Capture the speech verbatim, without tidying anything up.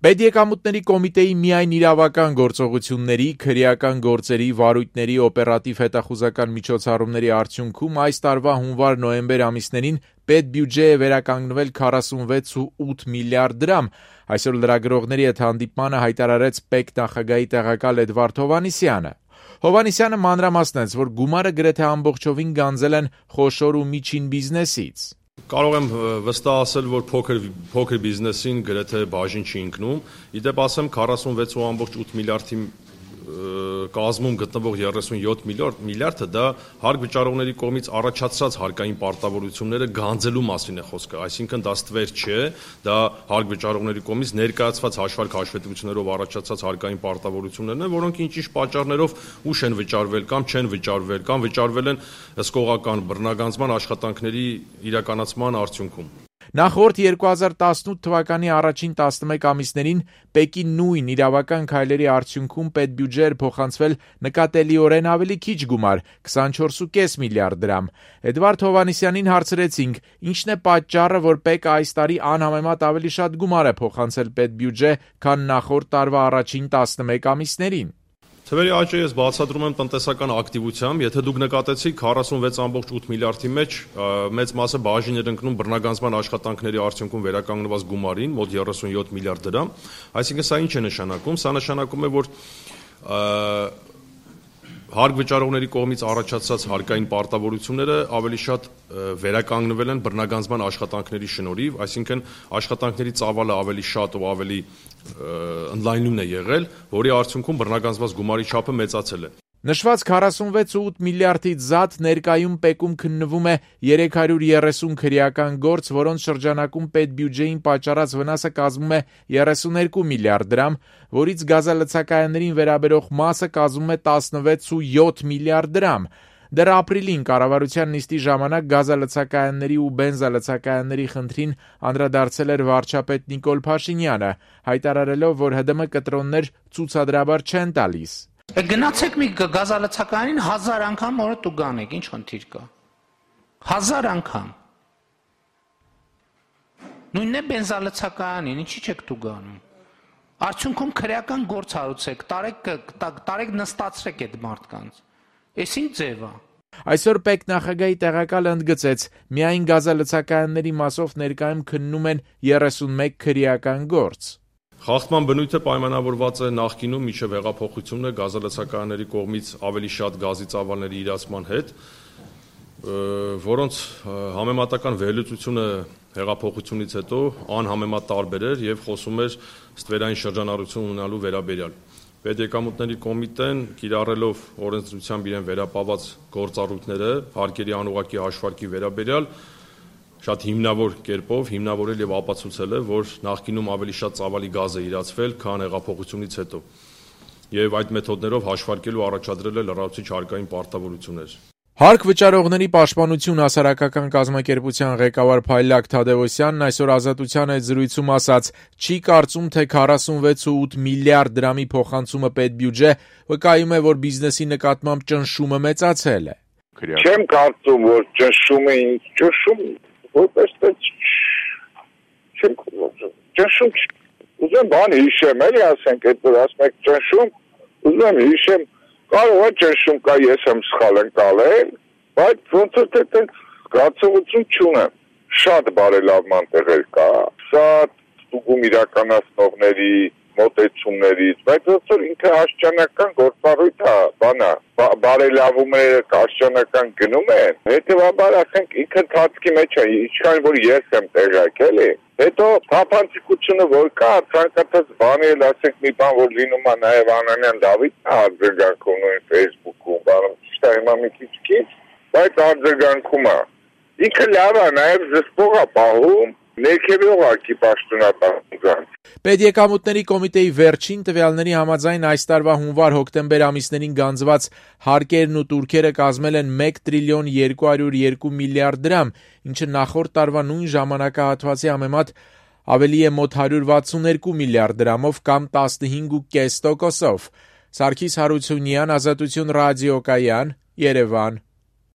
Պետեկամուտների կոմիտեի միայն իրավական գործողությունների, քրեական գործերի, վարույթների, օպերատիվ հետախուզական միջոցառումների արդյունքում այս տարվա հունվար-նոյեմբեր ամիսներին պետբյուջե է վերականգնվել քառասունվեց կόμma ութ միլիարդ դրամ, այսօր լրագրողների հետ հանդիպմանը հայտարարեց ՊԵԿ նախագահի տեղակալ Էդվարդ Հովհաննիսյանը։ Հովհաննիսյանը մանրամասնեց, որ գումարը գրեթե ամբողջովին գանձել են խոշոր ու միջին բիզնեսից։ Կարող եմ վստահ ասել, որ փոքր փոքր բիզնեսին գրեթե բաժին չի ընկնում։ Իդեպ ասեմ քառասունվեց կόμma ութ միլիարդի կազմում գտնվող երեսունյոթ միլիարդը դա հարկ վճարողների կողմից առաջացած հարկային պարտավորությունները գանձելու մասին է խոսքը, այսինքն դա ստվեր չէ, դա հարկ վճարողների կողմից ներկայացված հաշվարկ հաշվետվություններով առաջացած հարկային պարտավորություններն են, որոնք ինչ-ինչ պատճառներով ուշ են վճարվել կամ չեն վճարվել կամ վճարվել են հսկողական բռնագանձման աշխատանքների իրականացման արդյունքում։ Նախորդ երկու հազար տասնութ թվականի առաջին տասնմեկ ամիսներին ՊԵԿ-ի նույն իրավական քայլերի արդյունքում պետբյուջե էր փոխանցվել նկատելիորեն ավելի քիչ գումար՝ քսանչորս կόμma պենս միլիարդ դրամ։ Էդվարդ Հովհաննիսյանին հարցրեցինք՝ ինչն է պատճառը, որ ՊԵԿ-ը այս տարի անհամեմատ ավելի շատ գումար է փոխանցել պետբյուջե, քան նախորդ տարվա առաջին տասնմեկ ամիսներին։ Թվերի աճը ես բացատրում եմ տնտեսական ակտիվությամբ, եթե դուք նկատեցիք քառասունվեց կόμma ութ միլիարդի մեջ մեծ մասը բաժին էր ընկնում բռնագանձման աշխատանքների արդյունքում վերականգնված գումարին, մոտ երեսունյոթ միլիարդ դրամ, այսինքն սա ինչ է նշանակում, սա նշանակում է, որ հարկ վճարողների կողմից առաջացած հարկային պարտավորությունները ավելի շատ վերականգնվել են բռնագանձման աշխատանքների շնորհիվ, այսինքն աշխատանքների ծավալը ավելի շատ ու ավելի ընդլայնուն է եղել, որի արդյունքում բռնագանձված գումարի չափը մեծացել է։ Նշված քառասունվեց կόμma ութ միլիարդից զատ ներկայում ՊԵԿ-ում քննվում է երեք հարյուր երեսուն քրեական գործ, որոնց շրջանակում պետբյուջեին պատճառած վնասը կազմում է երեսունյոթ միլիարդ դրամ, որից գազալցակայաններին վերաբերող մասը կազմում է տասնվեց կόμma յոթ միլիարդ դրամ։ Դեռ ապրիլին կառավարության նիստի ժամանակ գազալցակայանների ու բենզալցակայանների խնդրին անդրադարձել էր վարչապետ Նիկոլ Փաշինյանը, հայտարարելով, որ ՀԴՄ կտրոններ ցուցադրաբար չեն տալիս։ Գնացեք մի գազալցակայանին հազար անգամ օրը դու գանեք, ինչ խնդիր կա։ Հազար անգամ։ Նույնն է բենզալցակայանին, ինչի՞ չեք դու գանում։ Արդյունքում քրեական գործ հարուցեք, տարեք տարեք նստացրեք այդ մարդկանց։ Էս ինչ ձև է։ Այսօր ՊԵԿ նախագահի տեղակալը ընդգծեց, միայն գազալցակայանների մասով ներկայում քննում են երեսունմեկ քրեական գործ։ Խախտման բնույթը պայմանավորված է նախկինում մինչև հեղափոխությունը գազալցակայանների կողմից ավելի շատ գազի ծավալների իրացման հետ, որոնց համեմատական վերլուծությունը հեղափոխությունից հետո անհամեմատ տարբեր էր եւ խոսում էր ստվերային շրջանառություն ունենալու վերաբերյալ։ Պետեկամուտների կոմիտեն կիրառելով օրենսդրությամբ իրեն վերապահված գործառույթները հարկերի անուղղակի հաշվարկի վերաբերյալ շատ հիմնավոր կերպով հիմնավորել եւ ապացուցել է, որ նախկինում ավելի շատ ծավալի գազ է իրացվել, քան հեղափոխությունից հետո։ Եվ այդ մեթոդներով հաշվարկելու առաջադրել է լրացուցիչ հարկային պարտավորություններ։ Հարկ վճարողների պաշտպանություն հասարակական կազմակերպության ղեկավար Փայլակ Թադևոսյանն այսօր Ազատության հետ զրույցում ասաց. չի կարծում, թե քառասունվեց կόμma ութ միլիարդ դրամի փոխանցումը պետբյուջե վկայում է, որ բիզնեսի նկատմամբ ճնշումը մեծացել է։ Չեմ կարծում, որ ճնշումը ճնշում որպես չեմ ճնշում ուզում բան հիշեմ, էլի ասենք, այդ որ ասում եք ճնշում, ուզում եմ հիշեմ, կարող է ճնշում կա, ես եմ սխալ ընկալել, բայց ոնց որ թե զգացողություն չունեմ, շատ բարելավման տեղեր կա, շատ ստուգում իրականացնողների մոտեցումներից, բայց ոնց որ ինքը աշճանական գործառույթ է, բանա, բարելավումները աշճանական գնում են, հետևաբար ասենք ինքը ընթացքի մեջ է, ինչքան որ ես եմ տեղյակ, էլի, հետո թափանցիկությունը որ կա, ցանկացած բանի էլ ասենք մի բան որ լինում է նաև Անանյան Դավիթն արձագանքում նույն Facebook-ում, բանում ճիշտ է հիմա մի քիչ-քիչ, բայց արձագանքում է, ինքը լավ է, նաև զսպող է պահում, ներքևող ակի պաշտոնական։ Պետեկամուտների կոմիտեի վերջին տվյալների համաձայն այս տարվա հունվար-հոկտեմբեր ամիսներին գանձված հարկերն ու տուրքերը կազմել են մեկ տրիլիոն երկու հարյուր երկու միլիարդ դրամ, ինչը նախորդ տարվա նույն ժամանակահատվածի համեմատ ավելի է մոտ հարյուր վաթսունյոթ միլիարդ դրամով կամ տասնհինգ կόμma պենս տոկոսով։ Սարգիս Հարությունյան, Ազատություն ռադիոկայան, Երևան։